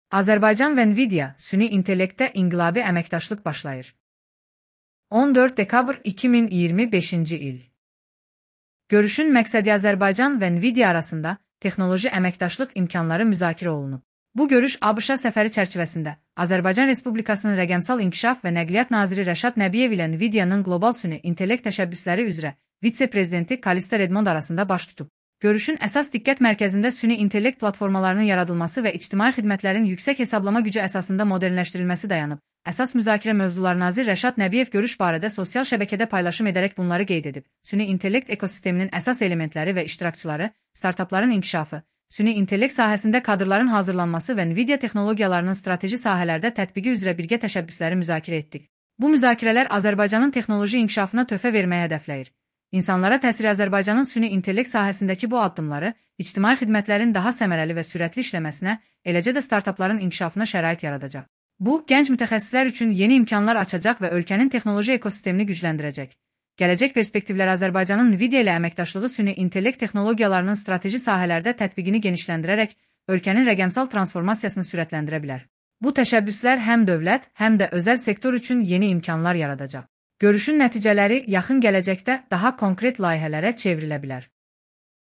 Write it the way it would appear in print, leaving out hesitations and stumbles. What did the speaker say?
Azərbaycan və Nvidia süni intellektdə inqilabi əməkdaşlıq başlayır. 14 dekabr 2025-ci il. Görüşün məqsədi Azərbaycan və Nvidia arasında texnoloji əməkdaşlıq imkanları müzakirə olunub. Bu görüş ABŞ səfəri çərçivəsində Azərbaycan Respublikasının Rəqəmsal İnkişaf və Nəqliyyat naziri Rəşad Nəbiyev ilə Nvidia'nın qlobal süni intellekt təşəbbüsləri üzrə vitse-prezidenti Kalista Redmond arasında baş tutub. Görüşün əsas diqqət mərkəzində süni intellekt platformalarının yaradılması və ictimai xidmətlərin yüksək hesablama gücü əsasında modernləşdirilməsi dayanıb. Əsas müzakirə mövzuları nazir Rəşad Nəbiyev görüş barədə sosial şəbəkədə paylaşım edərək bunları qeyd edib. Süni intellekt ekosisteminin əsas elementləri və iştirakçıları, startapların inkişafı, süni intellekt sahəsində kadrların hazırlanması və Nvidia texnologiyalarının strateji sahələrdə tətbiqi üzrə birgə təşəbbüsləri müzakirə etdik. Bu müzakirələr Azərbaycanın texnoloji inkişafına töhfə verməyə hədəfləyir. İnsanlara təsiri Azərbaycanın süni intellekt sahəsindəki bu addımları, ictimai xidmətlərin daha səmərəli və sürətli işləməsinə, eləcə də startapların inkişafına şərait yaradacaq. Bu, gənc mütəxəssislər üçün yeni imkanlar açacaq və ölkənin texnoloji ekosistemini gücləndirəcək. Gələcək perspektivlər Azərbaycanın Nvidia ilə əməkdaşlığı süni intellekt texnologiyalarının strateji sahələrdə tətbiqini genişləndirərək, ölkənin rəqəmsal transformasiyasını sürətləndirə bilər. Bu təşəbbüslər həm dövlət, həm də özəl sektor üçün yeni imkanlar yaradacaq. Görüşün nəticələri yaxın gələcəkdə daha konkret layihələrə çevrilə bilər.